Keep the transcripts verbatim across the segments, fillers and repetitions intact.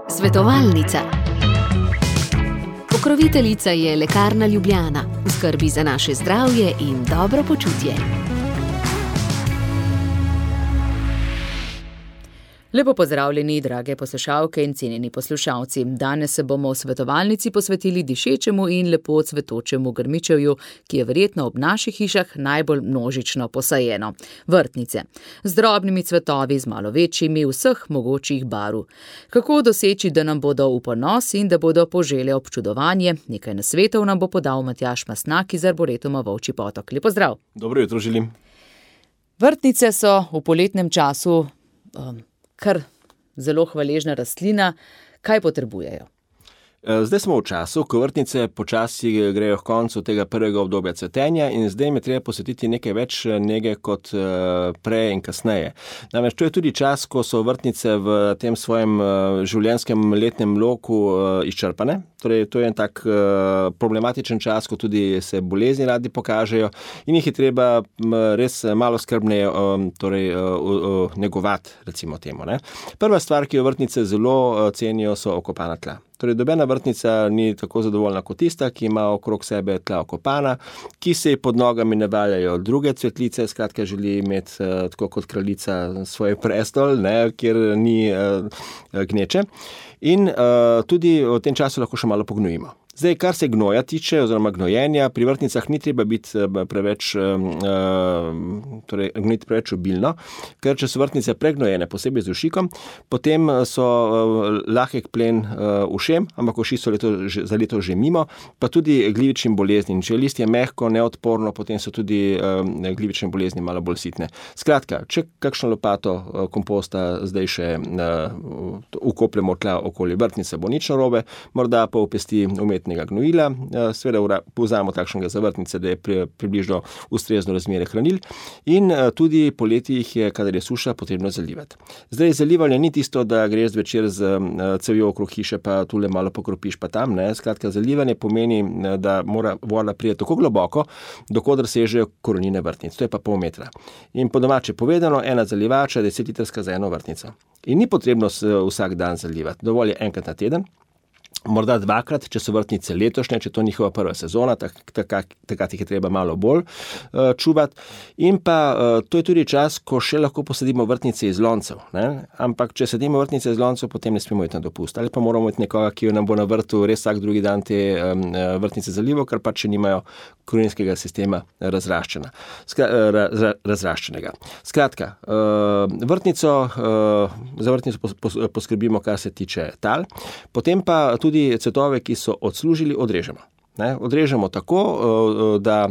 Svetovalnica. Pokroviteljica je Lekarna Ljubljana, v skrbi za naše zdravje in dobro počutje. Lepo pozdravljeni, drage poslušalke in cenjeni poslušalci. Danes se bomo v svetovalnici posvetili dišečemu in lepo cvetočemu grmičevju, ki je verjetno ob naših hišah najbolj množično posajeno. Vrtnice. Z drobnimi cvetovi, z malo večjimi, vseh mogočih barv. Kako doseči, da nam bodo v ponos in da bodo požele občudovanje? Nekaj nasvetov nam bo podal Matjaž Mastnak iz Arboretuma Volčji Potok. Lep pozdrav. Dobro jutro želim. Vrtnice so v poletnem času um, kar zelo hvaležna rastlina. Kaj potrebujejo? Zdaj smo v času, ko vrtnice počasi grejo k koncu tega prvega obdobja cvetenja in zdaj me treba posvetiti nekaj več nege kot prej in kasneje. Namreč to je tudi čas, ko so vrtnice v tem svojem življenjskem letnem loku izčrpane. Torej, to je en tak problematičen čas, ko tudi se bolezni radi pokažejo in jih je treba res malo skrbneje torej, negovati, recimo temu. Ne? Prva stvar, ki jo vrtnice zelo cenijo, so okopana tla. Torej, dobena vrtnica ni tako zadovoljna kot tista, ki ima okrog sebe tla okopana, ki se pod nogami ne valjajo druge cvetlice, skratka želi imeti uh, tako kot kraljica svoj prestol, ne, kjer ni uh, gneče. In uh, tudi v tem času lahko še malo pognojimo. Zdaj, kar se gnoja tiče, oziroma gnojenja, pri vrtnicah ni treba biti preveč, uh, torej gnojiti preveč obilno, ker če so vrtnice pregnojene, posebej z ušikom, potem so uh, lahek plen uh, ušem, ampak uši so leto, za leto že mimo, pa tudi glivičnim boleznim. Če je listje mehko, neodporno, potem so tudi uh, glivične bolezni malo bolj sitne. Skratka, če kakšno lopato uh, komposta zdaj še uh, ukopljemo tla okoli vrtnice, bo nič narobe, morda pa v pesti umetni gnojila, seveda povzamemo takšnega za vrtnice, da je pri, približno ustrezno razmere hranil in tudi poleti jih je, kadar je suša, potrebno zalivati. Zdaj, zalivanje ni tisto, da greš zvečer z cevjo okrog hiše, pa tule malo pokropiš pa tam, ne. Skratka, zalivanje pomeni, da mora voda priti tako globoko, dokodar sežejo korenine vrtnic, to je pa pol metra. In po domače povedano, ena zalivača, deset litrska za eno vrtnico. In ni potrebno vsak dan zalivati, dovolj je enkrat na teden, morda dvakrat, če so vrtnice letošnje, če to njihova prva sezona, takrat tak, jih je treba malo bolj uh, čuvati. In pa uh, to je tudi čas, ko še lahko posadimo vrtnice iz loncev. Ne? Ampak, če sadimo vrtnice iz loncev, potem ne smemo iti na dopust. Ali pa moramo imeti nekoga, ki jo nam bo na vrtu res vsak drugi dan te um, vrtnice zalival, ker pa če nimajo korenskega sistema razraščena, Skra, ra, razraščenega. Skratka, uh, vrtnico, uh, za vrtnico pos, pos, poskrbimo, kar se tiče tal, potem pa tudi cvetove, ki so odslužili, odrežemo. Ne, odrežemo tako, da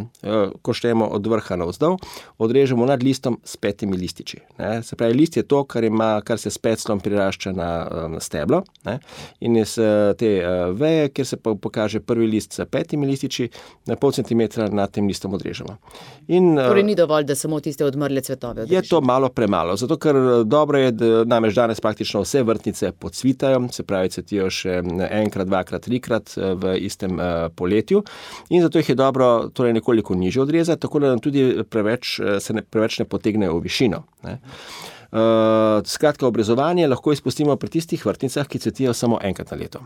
ko štejemo od vrha navzdol, odrežemo nad listom s petimi lističi. Ne. Se pravi, list je to, kar, ima, kar se s peclom prirašča na, na steblo. Ne. In iz te veje, kjer se pokaže prvi list s petimi lističi, na pol centimetra nad tem listom odrežemo. In, torej ni dovolj, da samo tiste odmrle cvetove odrežemo. Je to malo premalo, zato ker dobro je, da namreč danes praktično vse vrtnice podsvitajo, se pravi, cvetijo še enkrat, dvakrat, trikrat v istem poletju. In zato jih je dobro torej nekoliko nižje odrezati, tako da nam tudi preveč, se ne, preveč ne potegnejo v višino. Ne. Uh, skratka, obrezovanje lahko izpustimo pri tistih vrtnicah, ki cvetijo samo enkrat na leto.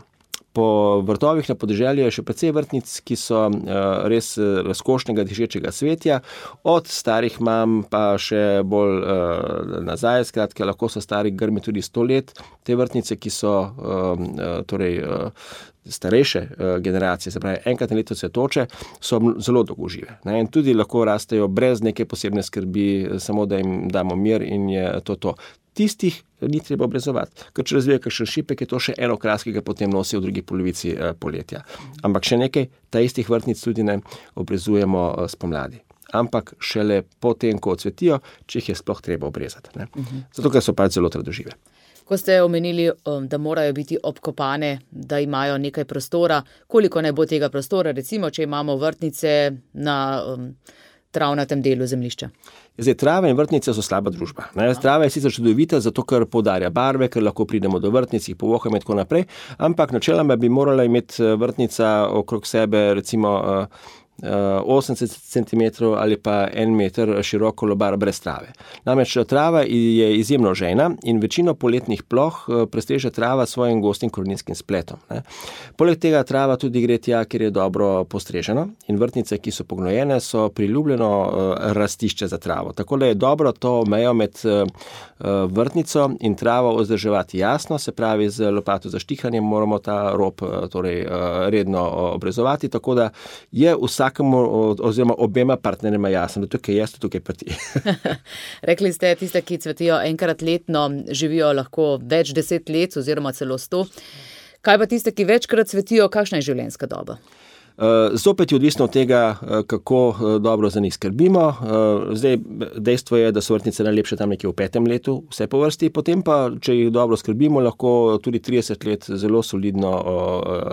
Po vrtovih na podeželju je še precej vrtnic, ki so uh, res razkošnega dišečega cvetja, od starih mam pa še bolj uh, nazaj, skratka, lahko so stari grmi tudi sto let. Te vrtnice, ki so uh, uh, torej, uh, starejše uh, generacije, se pravi enkrat na leto cvetoče, so zelo dolgožive. Ne? In tudi lahko rastejo brez neke posebne skrbi, samo da jim damo mir in je to to. Tistih ni treba obrezovati, ker če razvije kakšen šipek, je to še eno kras, ki ga potem nosi v drugi polovici eh, poletja. Ampak še nekaj, ta istih vrtnic tudi ne obrezujemo eh, spomladi. Ampak šele potem, ko odsvetijo, če jih je sploh treba obrezati. Ne? Uh-huh. Zato, ker so pač zelo trdožive. Ko ste omenili, da morajo biti obkopane, da imajo nekaj prostora, koliko naj bo tega prostora, recimo, če imamo vrtnice na um, travnatem delu zemljišča? Zdaj, trave in vrtnice so slaba družba. Ne? Trava je sicer čudovita, zato ker poudarja barve, ker lahko pridemo do vrtnic, jih povohamo in tako naprej, ampak načeloma bi morala imeti vrtnica okrog sebe recimo osemdeset centimetrov ali pa en meter široko lobar brez trave. Namreč trava je izjemno žejna in večino poletnih ploh prestreže trava svojim gostim koreninskim spletom. Ne. Poleg tega trava tudi gre tja, kjer je dobro postreženo in vrtnice, ki so pognojene, so priljubljeno rastišče za travo. Tako da je dobro to mejo med vrtnico in travo vzdrževati jasno, se pravi z lopato za štihanjem moramo ta rob torej, redno obrezovati, tako da je vsakemu oziroma obema partnerima jasno, da tukaj jaz, tukaj pa ti. Rekli ste, tiste, ki cvetijo enkrat letno, živijo lahko več deset let oziroma celo sto. Kaj pa tiste, ki večkrat cvetijo, kakšna je življenjska doba? Zopet je odvisno od tega, kako dobro za njih skrbimo. Zdaj, dejstvo je, da so vrtnice najlepše tam nekje v petem letu, vse po vrsti, potem pa, če jih dobro skrbimo, lahko tudi trideset let zelo solidno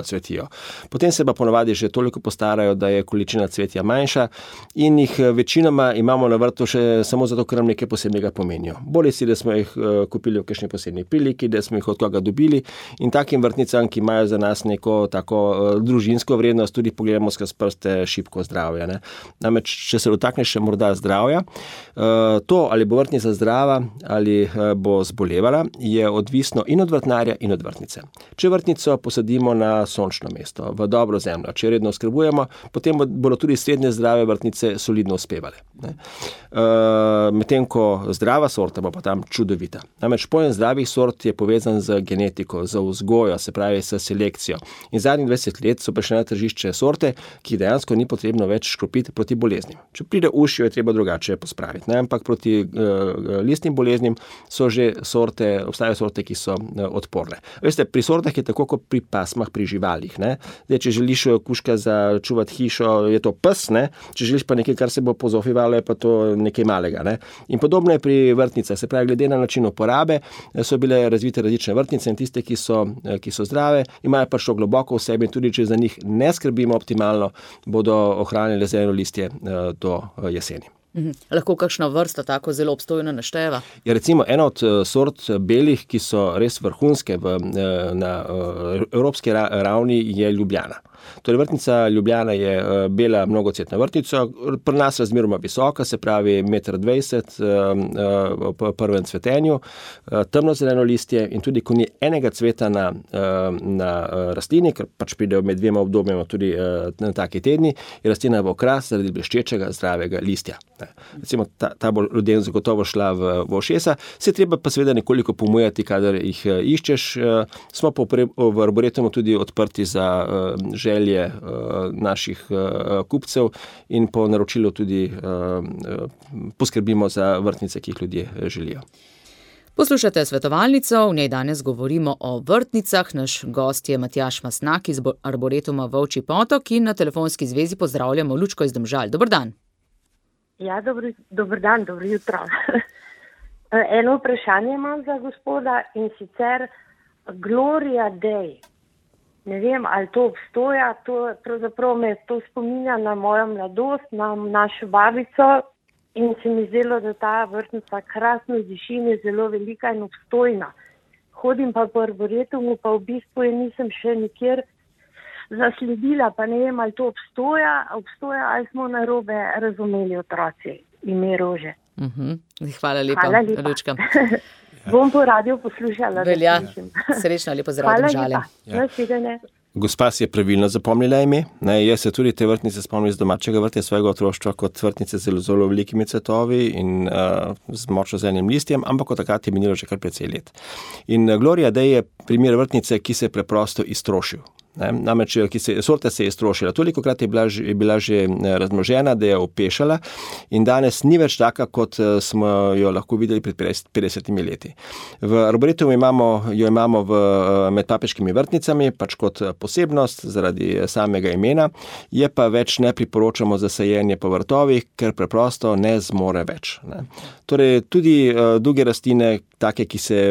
cvetijo. Potem se pa ponavadi že toliko postarajo, da je količina cvetja manjša in jih večinoma imamo na vrtu še samo zato, ker nam nekaj posebnega pomenijo. Bolje si, da smo jih kupili v kakšni posebni priliki, da smo jih od koga dobili in takim vrtnicam, ki imajo za nas neko tako družinsko vrednost, tudi pogledamo skozi prste šibko zdravja. Ne. Namreč, če se dotakneš še morda zdravja, to, ali bo vrtnica zdrava ali bo zbolevala, je odvisno in od vrtnarja in od vrtnice. Če vrtnico posadimo na sončno mesto, v dobro zemljo, če redno oskrbujemo, potem bodo tudi srednje zdrave vrtnice solidno uspevale. Ne. Medtem ko zdrava sorta bo pa tam čudovita. Namreč pojem zdravih sort je povezan z genetiko, z vzgojo, se pravi s selekcijo. In zadnjih dvajset let so prišle na tržišče sorte, ki dejansko ni potrebno več škropiti proti boleznim. Če pride ušjo, je treba drugače pospraviti. Ne? Ampak proti uh, listnim boleznim so že sorte, obstajajo sorte, ki so uh, odporne. Veste, pri sortah je tako kot pri pasmah, pri živalih. Ne? Zdaj, če želiš kužka začuvati hišo, je to pes, ne? Če želiš pa nekaj, kar se bo pozofivalo, je pa to nekaj malega. Ne? In podobno je pri vrtnicah. Se pravi, glede na način uporabe so bile razvite različne vrtnice in tiste, ki so, ki so zdrave, imajo pa šlo globoko v sebi in tudi, če za njih ne skrbimo optimalno, bodo ohranili zeleno listje do jeseni. Mhm. Lahko kakšna vrsta tako zelo obstojno našteva? Je recimo ena od sort belih, ki so res vrhunske v, na evropski ravni, je Ljubljana. Torej, vrtnica Ljubljana je bela mnogocvetna vrtnica, pri nas razmeroma visoka, se pravi meter dvajset v prvem cvetenju, temno zeleno listje in tudi, ko ni enega cveta na, na rastlini, ker pač pridejo med dvema obdobjama tudi na taki tedni, je rastlina v okras zaradi bleščečega zdravega listja. Recimo, ta, ta bo ljudem zagotovo šla v, v ošesa, se treba pa seveda nekoliko pomujati, kadar jih iščeš. Smo pa v Arboretumu tudi odprti za želje naših kupcev in po naročilu tudi poskrbimo za vrtnice, ki jih ljudje želijo. Poslušate svetovalnico, v njej danes govorimo o vrtnicah. Naš gost je Matjaž Mastnak iz Arboretuma Volčji Potok in na telefonski zvezi pozdravljamo Lučko iz Domžal. Dober dan. Ja, dobro, dober dan, dobro jutro. Eno vprašanje imam za gospoda in sicer Gloria Day. Ne vem, ali to obstoja, to pravzaprav me to spominja na mojo mladost, na našo babico in se mi zdelo, da ta vrtnica krasno diši in je zelo velika in obstojna. Hodim pa po Arboretumu, pa v bistvu je nisem še nikjer zasledila, pa ne vem, ali to obstoja, obstoja ali smo narobe razumeli otroci ime Rože. Uh-huh. Hvala lepa, Hvala lepa. Lučka. Bom po radiju poslušala. Velja, srečno, lepo zdrav Domžale. Hvala lepa. Gospa si je pravilno zapomnila ime. Ne, jaz se tudi te vrtnice spomnim iz domačega vrtja svojega otroštva kot vrtnice z zelo, zelo velikimi cvetovi in uh, z močno zelenim listjem, ampak od takrat je minilo že kar precej let. In Gloria Day je primer vrtnice, ki se je preprosto iztrošil. Ne, namreč, ki se, sorta se je strošila. Tolikokrat je bila, je bila že razmnožena, da je opešala in danes ni več taka, kot smo jo lahko videli pred petdesetimi leti. V Arboretumu imamo, jo imamo v, med papeškimi vrtnicami, pač kot posebnost zaradi samega imena, je pa več ne priporočamo za sajenje po vrtovih, ker preprosto ne zmore več. Ne. Torej, tudi uh, druge rastline, take, ki se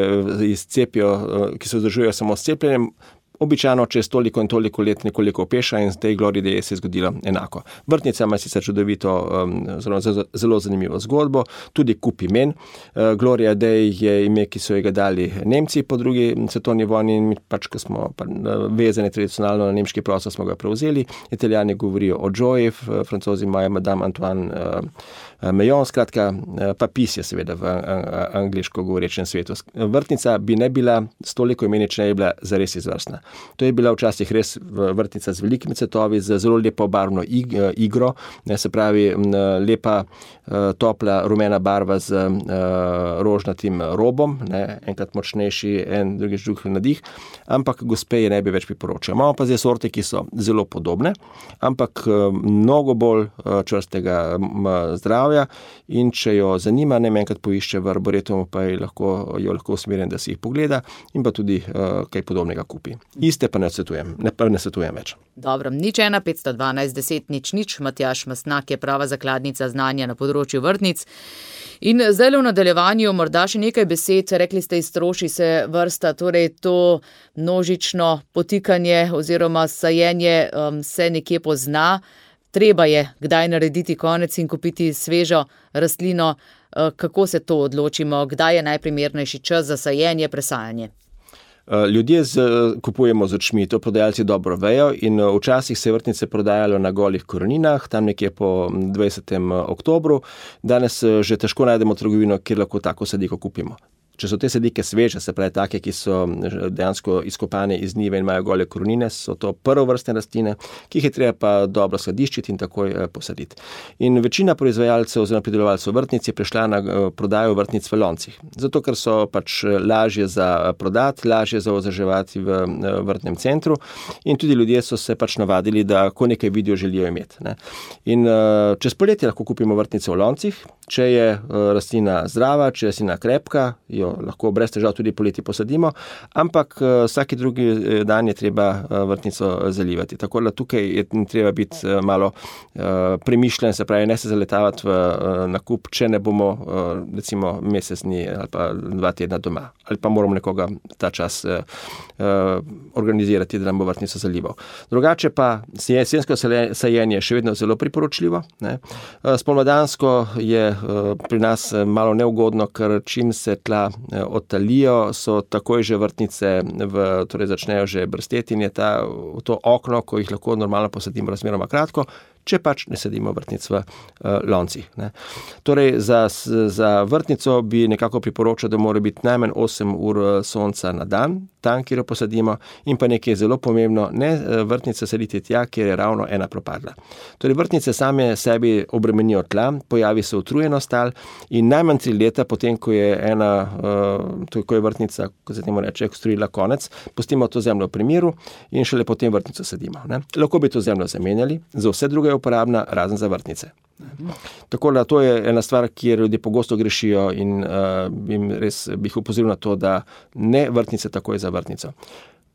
izcepijo, uh, ki se vzdržujejo samo s cepljenjem, običajno čez toliko in toliko let nekoliko opeša in z tej Glory Day se je zgodilo enako. Vrtnica ima sicer čudovito, zelo, zelo zanimivo zgodbo, tudi kup imen. Gloria Day je ime, ki so ga dali Nemci po drugi svetovni vojni in pač, ko smo vezani tradicionalno na nemški prostor, smo ga prevzeli. Italijani govorijo o Joyi, Francozi imajo Madame Antoine Meillon, skratka, pa pis je seveda v angliško govorečem svetu. Vrtnica bi ne bila s toliko imeni, če ne bi bila zares izvrstna. To je bila včasih res vrtnica z velikimi cvetovi, z zelo lepo barvno igro, ne, se pravi lepa, topla, rumena barva z rožnatim robom, ne, enkrat močnejši, en drugič drug nadih, ampak gospe je ne bi več priporočal. Imamo pa zdaj sorte, ki so zelo podobne, ampak mnogo bolj čvrstega zdravja in če jo zanima, ne enkrat poišče v arboretumu, pa je lahko, jo lahko usmerjen, da si jih pogleda in pa tudi uh, kaj podobnega kupi. Iste pa ne svetujem, ne, pa ne svetujem več. Dobro, nič ena, petsto dvanajst, deset, nič, nič. Matjaž Mastnak je prava zakladnica znanja na področju vrtnic. In zdaj v nadaljevanju morda še nekaj besed, rekli ste, iztroši se vrsta, torej to množično potikanje oziroma sajenje um, se nekje pozna. Treba je kdaj narediti konec in kupiti svežo rastlino. Kako se to odločimo? Kdaj je najprimernejši čas za sajenje, presajanje? Ljudje z, kupujemo z očmi, to prodajalci dobro vejo in včasih se vrtnice prodajalo na golih koreninah, tam nekje po dvajsetem oktobru. Danes že težko najdemo trgovino, kjer lahko tako sadiko kupimo. Če so te sadike sveže, se pravi take, ki so dejansko izkopane iz njive in imajo gole korenine, so to prvovrstne rastline, ki jih je treba pa dobro skladiščiti in takoj posaditi. In večina proizvajalcev oziroma pridelovalcev vrtnic je prišla na prodajo vrtnic v loncih. Zato, ker so pač lažje za prodati, lažje za ozaževati v vrtnem centru in tudi ljudje so se pač navadili, da ko nekaj vidijo, želijo imeti. Ne. In čez poletje lahko kupimo vrtnice v loncih, če je rastlina zdrava, če je rastlina krepka, jo lahko brez težav tudi poleti posadimo, ampak vsaki drugi dan je treba vrtnico zalivati. Tako da tukaj je treba biti malo premišljen, se pravi, ne se zaletavati v nakup, če ne bomo recimo mesec dni ali pa dva tedna doma. Ali pa moramo nekoga ta čas organizirati, da nam bo vrtnico zalival. Drugače pa jesensko sajenje je še vedno zelo priporočljivo. Ne. Spomladansko je pri nas malo neugodno, ker čim se tla odtalijo, so takoj že vrtnice, v, torej začnejo že brsteti in je ta, to okno, ko jih lahko normalno posadimo, razmeroma kratko, če pač ne sadimo vrtnic v uh, loncih. Ne. Torej, za, za vrtnico bi nekako priporočal, da mora biti najmanj osem ur sonca na dan, tam, kjer jo posadimo, in pa nekaj zelo pomembno, ne vrtnice saditi tja, kjer je ravno ena propadla. Torej, vrtnice same sebi obremenijo tla, pojavi se utrujenost tal in najmanj tri leta potem, ko je ena, uh, ko je vrtnica, ko se temu reče, ekstruila konec, pustimo to zemljo v premiru in šele potem vrtnico sadimo. Ne. Lahko bi to zemljo zamenjali, za vse druge je uporabna, razen za vrtnice. Tako da to je ena stvar, kjer ljudje pogosto grešijo in uh, bi res bi jih upozoril na to, da ne vrtnice takoj za vrtnico.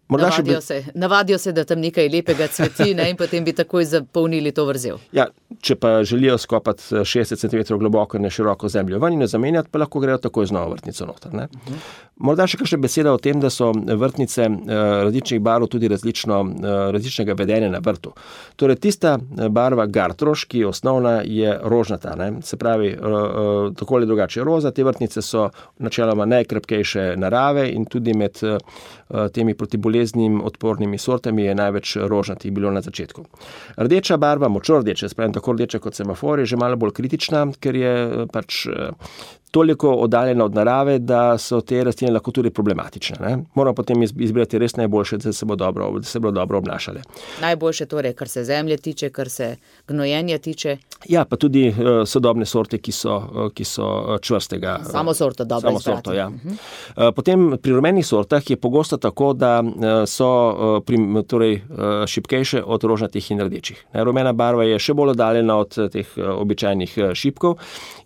Navadijo, bi... se, navadijo se, da tam nekaj lepega cveti, ne, in potem bi takoj zapolnili to vrzel. Ja, če pa želijo skopati šestdeset centimetrov globoko in široko zemljo ven in jo zamenjati, pa lahko grejo takoj z novo vrtnico noter. Ne. Uh-huh. Morda še kakšna beseda o tem, da so vrtnice uh, različnih barv tudi različno, uh, različnega vedenja na vrtu. Torej, tista barva Gartroš, ki je osnovna, je rožnata. Ne. Se pravi, uh, uh, tako ali drugače roza, te vrtnice so načeloma najkrepkejše narave in tudi med uh, temi protiboleznim odpornimi sortami je največ rožnatih bilo na začetku. Rdeča barva, močno rdeča, se pravi tako rdeča kot semafor, je že malo bolj kritična, ker je pač toliko oddaljena od narave, da so te rastline lahko tudi problematične. Ne? Moramo potem izbrati res najboljše, da se bo dobro, da se bo dobro obnašale. Najboljše torej, kar se zemlje tiče, kar se gnojenja tiče? Ja, pa tudi uh, sodobne sorte, ki so, uh, ki so čvrstega. Samo sorto dobro izbrati. Samo sorto, ja. Uh-huh. Uh, potem pri rumenih sortah je pogosto tako, da uh, so uh, prim, torej, uh, šibkejše od rožnatih in rdečih. Ne? Rumena barva je še bolj oddaljena od teh uh, običajnih uh, šibkov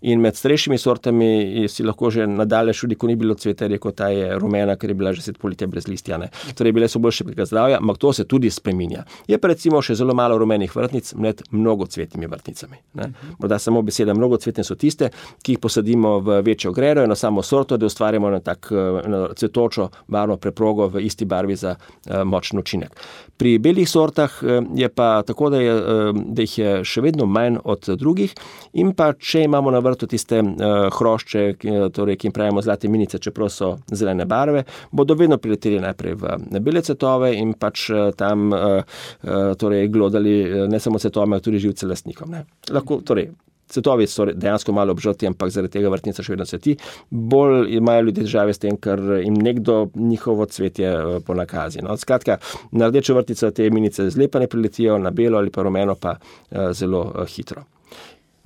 in med starejšimi sortami si lahko že nadalje šudi, ko ni bilo cveta, rekel, ta je rumena, ker je bila že set poletja brez listja. Ne. Torej, bile so boljše preka zdravja, ampak to se tudi spreminja. Je pa recimo še zelo malo rumenih vrtnic med mnogocvetnimi vrtnicami. Ne. Morda samo beseda mnogocvetne so tiste, ki jih posadimo v večjo gredo, eno samo sorto, da ustvarjamo na tak na cvetočo barvno preprogo v isti barvi za uh, močen učinek. Pri belih sortah uh, je pa tako, da, je, uh, da jih je še vedno manj od drugih in pa če imamo na vrtu tiste uh, hrošče, ki, torej, ki jim pravimo zlate minice, čeprav so zelene barve, bodo vedno prileteli najprej v bele cvetove in pač uh, tam uh, uh, torej, glodali uh, ne samo cvetove, ampak tudi živce lastnikom. Ne. Lahko, torej, cvetovi so dejansko malo obžrti, ampak zaradi tega vrtnica še vedno cveti. Bolj imajo ljudje težave s tem, ker jim nekdo njihovo cvetje ponakazi. No, skratka, na rdečo vrtnico te minice zlepa ne priletijo, na belo ali pa rumeno pa uh, zelo uh, hitro.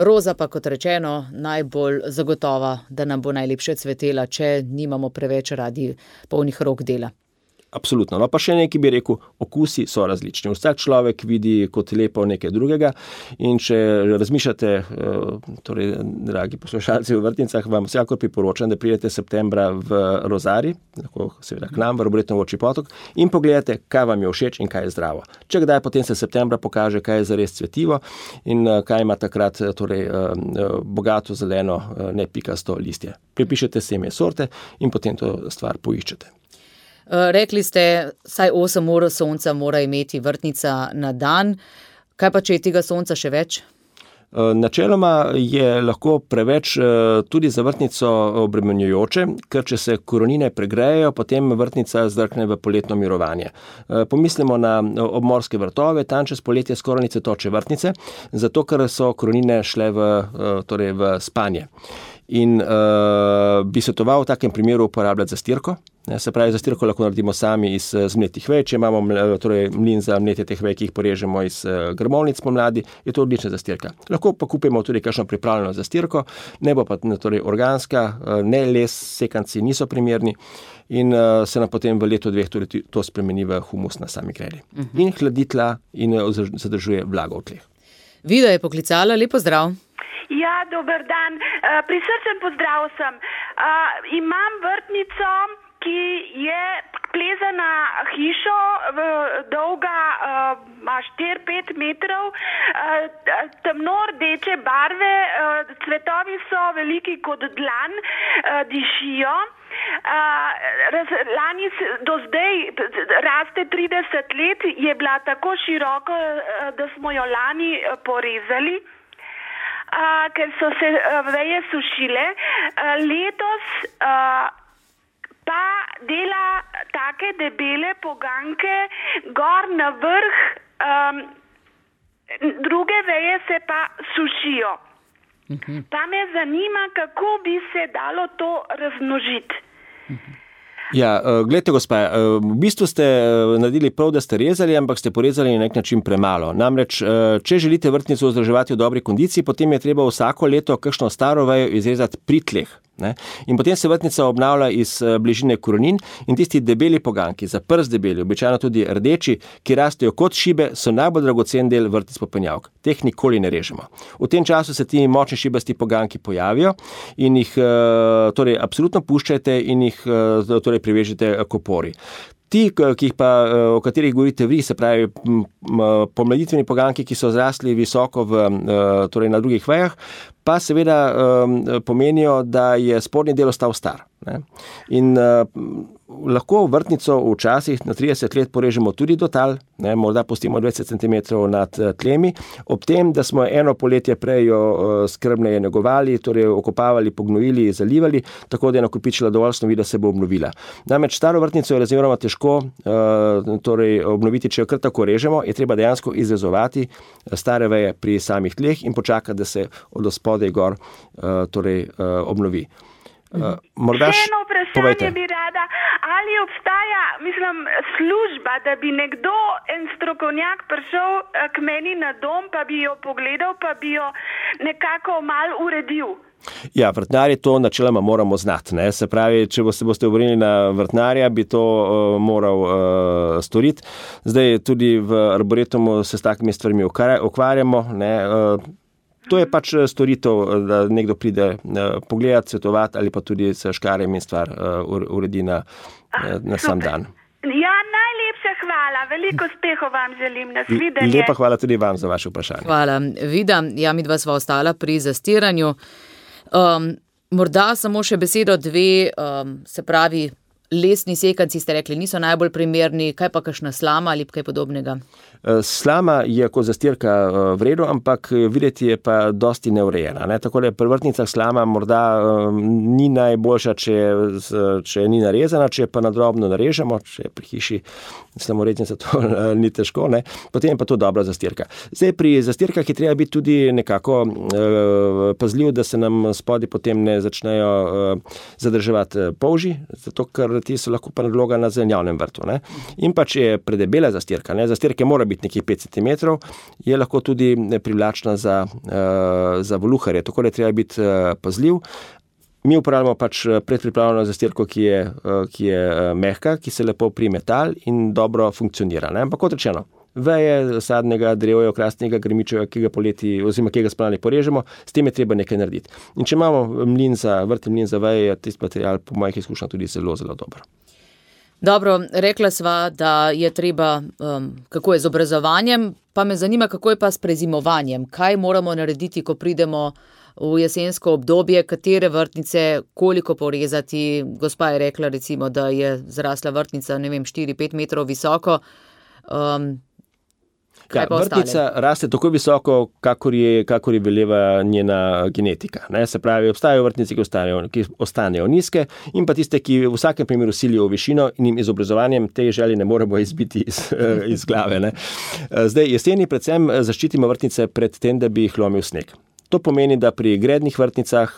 Roza pa, kot rečeno, najbolj zagotova, da nam bo najlepše cvetela, če nimamo preveč radi polnih rok dela. Absolutno. No, pa še nekaj bi rekel, okusi so različni. Vsak človek vidi kot lepo nekaj drugega in če razmišljate, torej, dragi poslušalci v vrtnicah, vam vsekakor priporočam, da pridete septembra v Rozari, lahko seveda k nam, v Arboretum Volčji Potok in pogledate, kaj vam je všeč in kaj je zdravo. Če kdaj, potem se septembra pokaže, kaj je zares cvetivo in kaj ima takrat torej, bogato zeleno, ne pikasto listje. Pripišete semje sorte in potem to stvar poiščete. Rekli ste, saj osem ur sonca mora imeti vrtnica na dan. Kaj pa, če je tega sonca še več? Načeloma je lahko preveč tudi za vrtnico obremenjujoče, ker če se korenine pregrejejo, potem vrtnica zdrkne v poletno mirovanje. Pomislimo na obmorske vrtove, tam čez poletje skoraj ni cvetoče vrtnice, zato ker so korenine šle v, torej v spanje. In uh, bi svetoval v takem primeru uporabljati zastirko. Se pravi, zastirko lahko naredimo sami iz zmletih vej. Če imamo torej, mlin za mletje teh vej, ki jih porežemo iz grmovnic pomladi, je to odlična zastirka. Lahko pa kupimo tudi kakšno pripravljeno zastirko, ne bo pa torej, organska, ne les, sekanci niso primerni in uh, se nam potem v letu dveh tudi to spremeni v humus na sami gredi. Uh-huh. In hladi tla in zadržuje vlago v tleh. Vida je poklicala, lepo zdrav. Ja, dober dan. Uh, prisrčen pozdrav sem. Uh, imam vrtnico, ki je plezana hišo, dolga uh, štiri pet metrov, uh, temno rdeče barve, uh, cvetovi so veliki kot dlan, uh, dišijo. Uh, raz, lani do zdaj raste trideset let, je bila tako široko, uh, da smo jo lani uh, porezali. Uh, ker so se uh, veje sušile. Uh, letos uh, pa dela take debele poganke gor na vrh, um, druge veje se pa sušijo. Uh-huh. Pa me zanima, kako bi se dalo to razmnožiti. Uh-huh. Ja, gledajte, gospa, v bistvu ste naredili prav, da ste rezali, ampak ste porezali na nek način premalo. Namreč, če želite vrtnico vzdrževati v dobri kondiciji, potem je treba vsako leto kakšno staro vejo izrezati pri tleh. Ne? In potem se vrtnica obnavlja iz bližine korenin in tisti debeli poganki, za prst debeli, običajno tudi rdeči, ki rastejo kot šibe, so najbolj dragocen del vrtnic popenjavk. Teh nikoli ne režemo. V tem času se ti močni šibasti poganki pojavijo in jih torej, absolutno puščajte in jih torej, privežite k opori. Ti, ki jih pa, o katerih govorite vi, se pravi pomladitveni poganki, ki so zrasli visoko v, torej na drugih vejah, pa seveda pomenijo, da je spodnji del ostal star. Ne? In uh, lahko vrtnico včasih na trideset let porežemo tudi do tal, ne? Morda pustimo dvajset centimetrov nad tlemi, ob tem, da smo eno poletje prej jo uh, skrbneje negovali, torej okopavali, pognojili, zalivali, tako da je nakopičila dovolj snovi, da se bo obnovila. Namreč staro vrtnico je razmeroma težko uh, torej obnoviti, če jo kar tako režemo, je treba dejansko izrezovati stare veje pri samih tleh in počakati, da se od spodaj gor uh, torej, uh, obnovi. Uh, morda še eno vprašanje povejte. Bi rada, ali obstaja, mislim, služba, da bi nekdo, en strokovnjak prišel k meni na dom, pa bi jo pogledal, pa bi jo nekako mal uredil? Ja, vrtnarji to načeloma moramo znati. Ne? Se pravi, če boste, boste obrnili na vrtnarja, bi to uh, moral uh, storiti. Zdaj tudi v Arboretumu se s takimi stvarmi ukvarjamo. Ne? Uh, To je pač storitev, da nekdo pride pogledati, svetovati ali pa tudi s škarjem in stvar uredi na, na sam dan. Ja, najlepša hvala. Veliko uspehov vam želim. Nasvidenje. Lepa hvala tudi vam za vaše vprašanje. Hvala. Vida, ja, midva sva ostala pri zastiranju. Um, morda samo še besedo dve, um, se pravi, lesni sekanci ste rekli, niso najbolj primerni, kaj pa kakšna slama ali kaj podobnega? Slama je kot zastirka v redu, ampak videti je pa dosti neurejena. Ne? Tako da pri vrtnicah slama morda um, ni najboljša, če, če ni narezana, če pa nadrobno narežemo, če pri hiši slomoreznica to ni težko, ne? Potem je pa to dobra zastirka. Zdaj pri zastirkah je treba biti tudi nekako uh, pazljiv, da se nam spodaj potem ne začnejo uh, zadrževati polži, zato ker ti so lahko pa nadloga na zelenjavnem vrtu. Ne? In pa če je predebela zastirka, ne? Zastirke mora biti nekje pet centimetrov, je lahko tudi privlačna za, uh, za voluharje, tako da je treba biti uh, pazljiv. Mi uporabljamo pač predpripravljeno zastirko, ki je, uh, ki je uh, mehka, ki se lepo prime tal in dobro funkcionira. Ne? Ampak kot rečeno, veje sadnega, drevja, okrasnega, grmičevega, ki ga poleti, oziroma ki ga spomladi porežemo, s tem je treba nekaj narediti. In če imamo mlin za, vrtni mlin za veje, je tisti material po mojih izkušnjah tudi zelo, zelo dober. Dobro, rekla sva, da je treba, um, kako je z obrazovanjem, pa me zanima, kako je pa s prezimovanjem. Kaj moramo narediti, ko pridemo v jesensko obdobje, katere vrtnice, koliko porezati? Gospa je rekla, recimo, da je zrasla vrtnica, ne vem, štiri pet metrov visoko. Um, Ja, vrtnica raste tako visoko, kakor je, kakor je veleva njena genetika. Ne? Se pravi, obstajajo vrtnice, ki ostanejo, ki ostanejo nizke in pa tiste, ki v vsakem primeru silijo v višino in jim izobrazovanjem te želje ne moremo izbiti iz, iz glave. Ne? Zdaj, jeseni predvsem zaščitimo vrtnice pred tem, da bi jih lomil sneg. To pomeni, da pri grednih vrtnicah,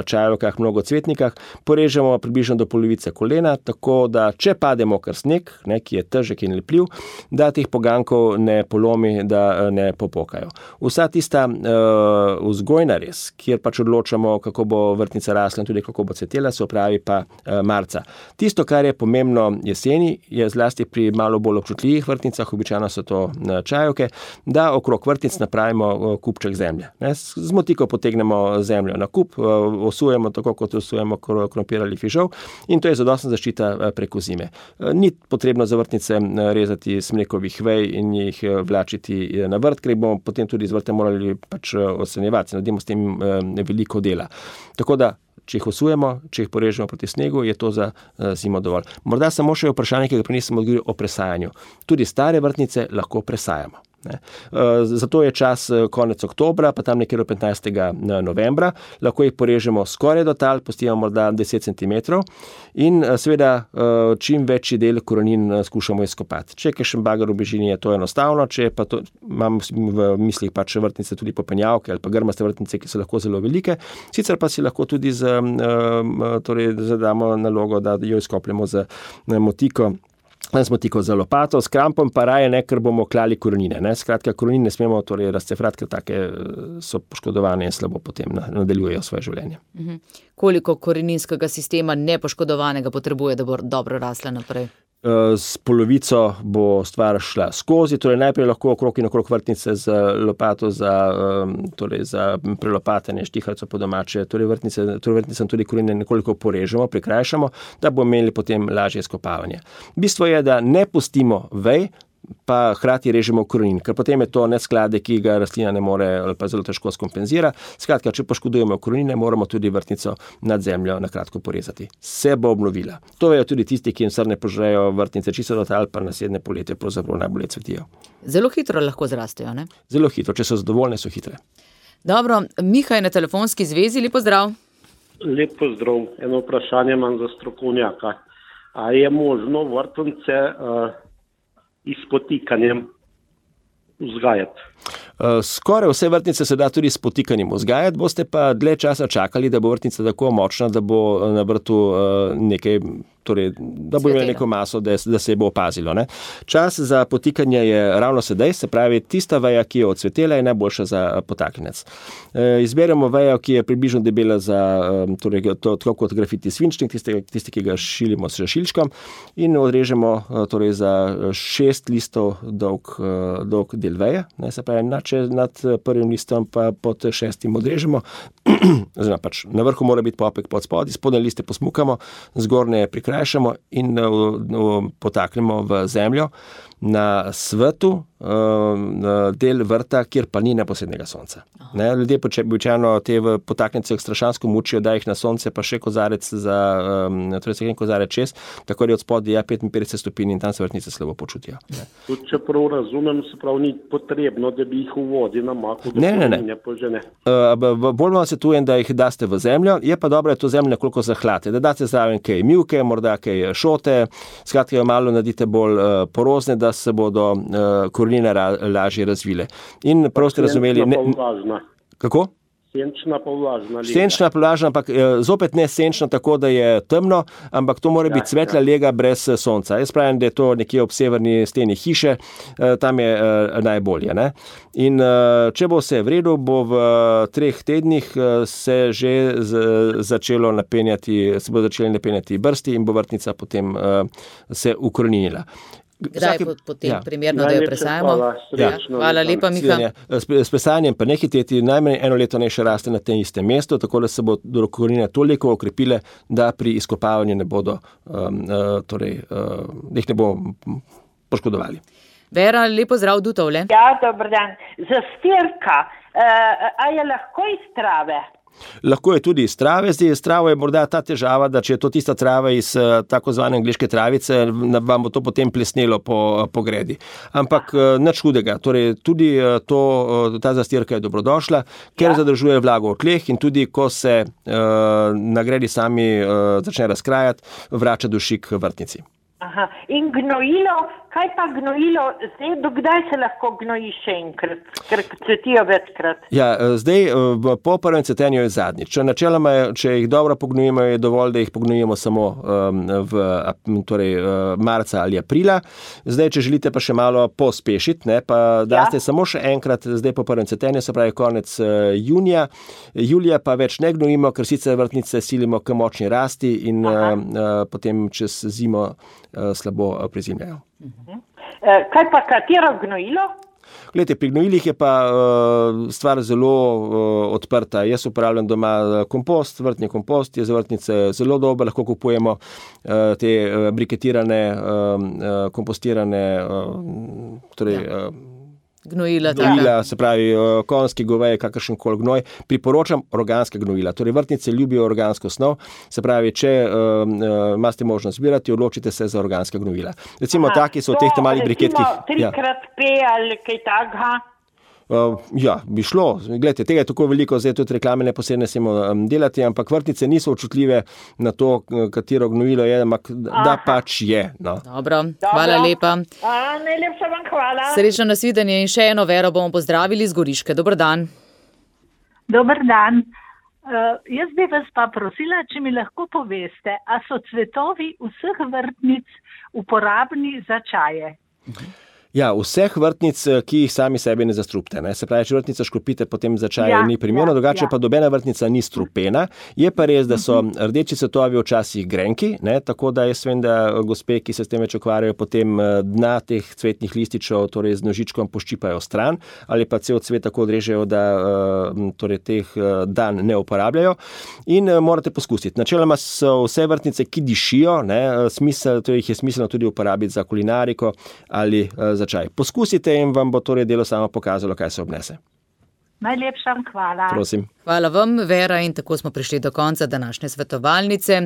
čajevkah, mnogocvetnikah porežemo približno do polovice kolena, tako da če pade mokr sneg, ne, ki je težek in lepljiv, da teh pogankov ne polomi, da ne popokajo. Vsa tista uh, vzgojna res, kjer pač odločamo, kako bo vrtnica rasla in tudi kako bo cvetela, se opravi pa uh, marca. Tisto, kar je pomembno jeseni, je zlasti pri malo bolj občutljivih vrtnicah, običajno so to uh, čajevke, da okrog vrtnic napravimo uh, kupček zemlje. Ne, Tiko potegnemo zemljo na kup, osujemo tako, kot osujemo krompir ali fižol in to je zadostna zaščita preko zime. Ni potrebno za vrtnice rezati smrekovih vej in jih vlačiti na vrt, ker bomo potem tudi z vrte morali pač odstranjevati, naredimo s tem veliko dela. Tako da, če jih osujemo, če jih porežemo proti snegu, je to za zimo dovolj. Morda samo še vprašanje, ki ga prej nisem odgovoril o presajanju. Tudi stare vrtnice lahko presajamo. Ne. Zato je čas konec oktobra, pa tam nekje do petnajstega novembra. Lahko jih porežemo skoraj do tal, pustimo morda deset centimetrov in seveda čim večji del korenin skušamo izkopati. Če je kakšen bager v bližini, je to enostavno, če pa to, imam v mislih pač vrtnice tudi popenjavke ali pa grmaste vrtnice, ki so lahko zelo velike, sicer pa si lahko tudi z, torej zadamo nalogo, da jo izkopljemo z motiko. Danes smo tiko za lopato, s krampom pa raje ne, ker bomo klali korenine. Ne? Skratka, korenine ne smemo torej razcefrati, ker take so poškodovane in slabo potem nadaljujejo svoje življenje. Mhm. Koliko koreninskega sistema nepoškodovanega potrebuje, da bo dobro rasla naprej? S polovico bo stvar šla skozi, torej najprej lahko okrog in okrog vrtnice z lopato za, torej za prelopatanje štiharco po domače, torej vrtnice, torej vrtnicam tudi korenine nekoliko porežemo, prikrajšamo, da bomo imeli potem lažje izkopavanje. Bistvo je, da ne pustimo vej, pa hkrati režemo korenin, ker potem je to nesklade, ki ga rastlina ne more ali pa zelo težko skompenzira. Skratka, če poškodujemo korenine, moramo tudi vrtnico nad zemljo na kratko porezati. Se bo obnovila. To vejo tudi tisti, ki jim srne požrejo vrtnice čisto do tal, pa naslednje poletje pravzaprav najbolje cvetijo. Zelo hitro lahko zrastejo, ne? Zelo hitro, če so zadovoljne, so hitre. Dobro, Miha je na telefonski zvezi, lep pozdrav. Lep pozdrav, eno vprašanje imam za strokovnjaka. A je možno vrtnice uh, s potikanjem vzgajati? Skoraj vse vrtnice se da tudi s potikanjem vzgajati, boste pa dlje časa čakali, da bo vrtnica tako močna, da bo na vrtu nekaj torej, da bo imel neko maso, da, da se bo opazilo. Ne. Čas za potikanje je ravno sedaj, se pravi, tista veja, ki je odsvetela, je najboljša za potaknjenec. E, izberemo vejo, ki je približno debela za, torej, to, tako kot grafiti svinčnik, tisti, tisti, ki ga šilimo s šilčkom, in odrežemo torej, za šest listov dolg, dolg del veje, ne, se pravi, nad, nad prvim listom pa pod šestim odrežemo, oziroma pač na vrhu mora biti popek pod spodaj, spodnje liste posmukamo, zgornje prikrajšamo in uh, uh, potaknemo v zemljo na svetu uh, del vrta, kjer pa ni neposrednega sonca. Ne, ljudje običajno te v potaknjence strašansko mučijo, da jih na sonce pa še kozarec za, um, torej se kozarec čez, tako da je od spodaj je petinpetdeset stopinj in tam se vrtnice slabo počutijo. Ne. Tudi če prav razumem, se prav ni potrebno, da bi jih v vodi namakal, da ne, ne, ne. ne požene. Uh, bolj vam svetujem, da jih daste v zemljo, je pa dobro, da to zemljo nekoliko zahlate, da date zraven kaj mivke, morda kaj šote, skratka jo malo naredite bolj uh, porozne, da se bodo uh, korenine ra, lažje razvile. In prav ste razumeli... Ne, kako? Senčna pa vlažna lega. Senčna pa vlažna, ampak zopet ne senčna tako, da je temno, ampak to mora ja, biti svetla ja. lega brez sonca. Jaz pravim, da je to nekje ob severni steni hiše, tam je najbolje. Ne? In če bo vse v redu, bo v treh tednih se že začelo napenjati, se bo začeli napenjati brsti in bo vrtnica potem se ukoreninila. Kdaj je potem ja. primerno, da jo presajamo? Hvala, ja. hvala lepa, Miha. S, s presajanjem pa ne hiteti, najmanj eno leto ne še raste na tem istem mestu, tako da se bo korenine toliko okrepile, da pri izkopavanju ne bodo, um, uh, torej, uh, jih ne bo poškodovali. Vera, lepo zdrav, Dutovle. Ja, dober dan. Zastirka, uh, a je lahko iz trave? Lahko je tudi iz trave, zdaj iz trave je morda ta težava, da če je to tista trava iz tako zvane angleške travice, vam bo to potem plesnelo po, po gredi. Ampak nič hudega, torej tudi to, ta zastirka je dobrodošla, ker ja. zadržuje vlago v tleh in tudi ko se uh, na gredi sami uh, začne razkrajati, vrača dušik vrtnici. Aha. In gnojilo, kaj pa gnojilo, zdaj dokdaj se lahko gnoji še enkrat, ker cvetijo večkrat? Ja, zdaj po prvem cvetenju je zadnjič. Načeloma, če jih dobro pognojimo, je dovolj, da jih pognojimo samo um, v torej, marca ali aprila. Zdaj, če želite pa še malo pospešiti, ne, pa daste ja. samo še enkrat, zdaj po prvem cvetenju, se pravi konec uh, junija. Julija pa več ne gnojimo, ker sicer vrtnice silimo k močni rasti in uh, uh, potem čez zimo slabo prezimljajo. Uh-huh. Kaj pa katero gnojilo? Glejte, pri gnojilih je pa uh, stvar zelo uh, odprta. Jaz uporabljam doma kompost, vrtni kompost je za vrtnice zelo dober, lahko kupujemo uh, te uh, briketirane, uh, kompostirane, uh, torej... Ja. Uh, Gnojila, gnojila se pravi konjski, goveji, kakršen koli gnoj. Priporočam organska gnojila. Torej vrtnice ljubijo organsko snov, se pravi, če uh, imate možnost zbirati, odločite se za organska gnojila. Recimo Aha, taki so v teh malih briketkih. Trikrat P ali kaj takega? Uh, ja, bi šlo. Glejte, tega je tako veliko, zdaj tudi reklame neposredne smemo um, delati, ampak vrtnice niso občutljive na to, katero gnojilo je, ampak da pač je. No. Dobro, hvala Dobro. lepa. A, najlepša vam hvala. Srečno nasvidenje in še eno Vero bomo pozdravili iz Goriške. Dober dan. Dober dan. Uh, jaz bi vas pa prosila, če mi lahko poveste, a so cvetovi vseh vrtnic uporabni za čaje? Mhm. Ja, vseh vrtnic, ki jih sami sebi ne zastrupite. Ne? Se pravi, če vrtnica škropite, potem za čaj ja, ni primerno, ja, drugače ja. pa dobena vrtnica ni strupena. Je pa res, da so uh-huh. rdeči cvetovi včasih grenki, ne? Tako da jaz vem, da gospe, ki se s tem več ukvarjajo, potem dna teh cvetnih lističev, torej z nožičkom poščipajo stran ali pa cel cvet tako odrežejo, da torej, teh dan ne uporabljajo. In morate poskusiti. Načeloma so vse vrtnice, ki dišijo, ne? Smisel, torej jih je smiselno tudi uporabiti za kulinariko ali za čaj. Poskusite in vam bo torej delo samo pokazalo, kaj se obnese. Najlepša hvala. Prosim. Hvala vam, Vera, in tako smo prišli do konca današnje svetovalnice,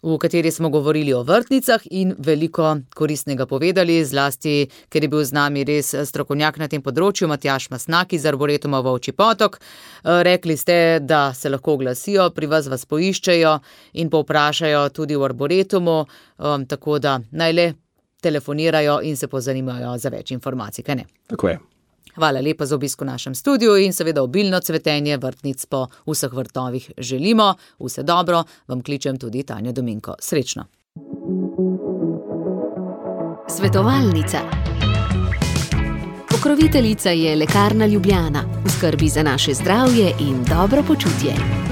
v kateri smo govorili o vrtnicah in veliko koristnega povedali, zlasti, ker je bil z nami res strokovnjak na tem področju, Matjaž Masnak iz Arboretuma Volčji Potok. Rekli ste, da se lahko oglasijo, pri vas vas poiščejo in povprašajo tudi v Arboretumu, tako da naj le telefonirajo in se pozanimajo za več informacij, kaj ne? Tako je. Hvala lepa za obisk v našem studiu in seveda obilno cvetenje vrtnic po vseh vrtovih želimo. Vse dobro, vam kličem tudi Tanja Dominko. Srečno! Svetovalnica. Pokroviteljica je Lekarna Ljubljana, v skrbi za naše zdravje in dobro počutje.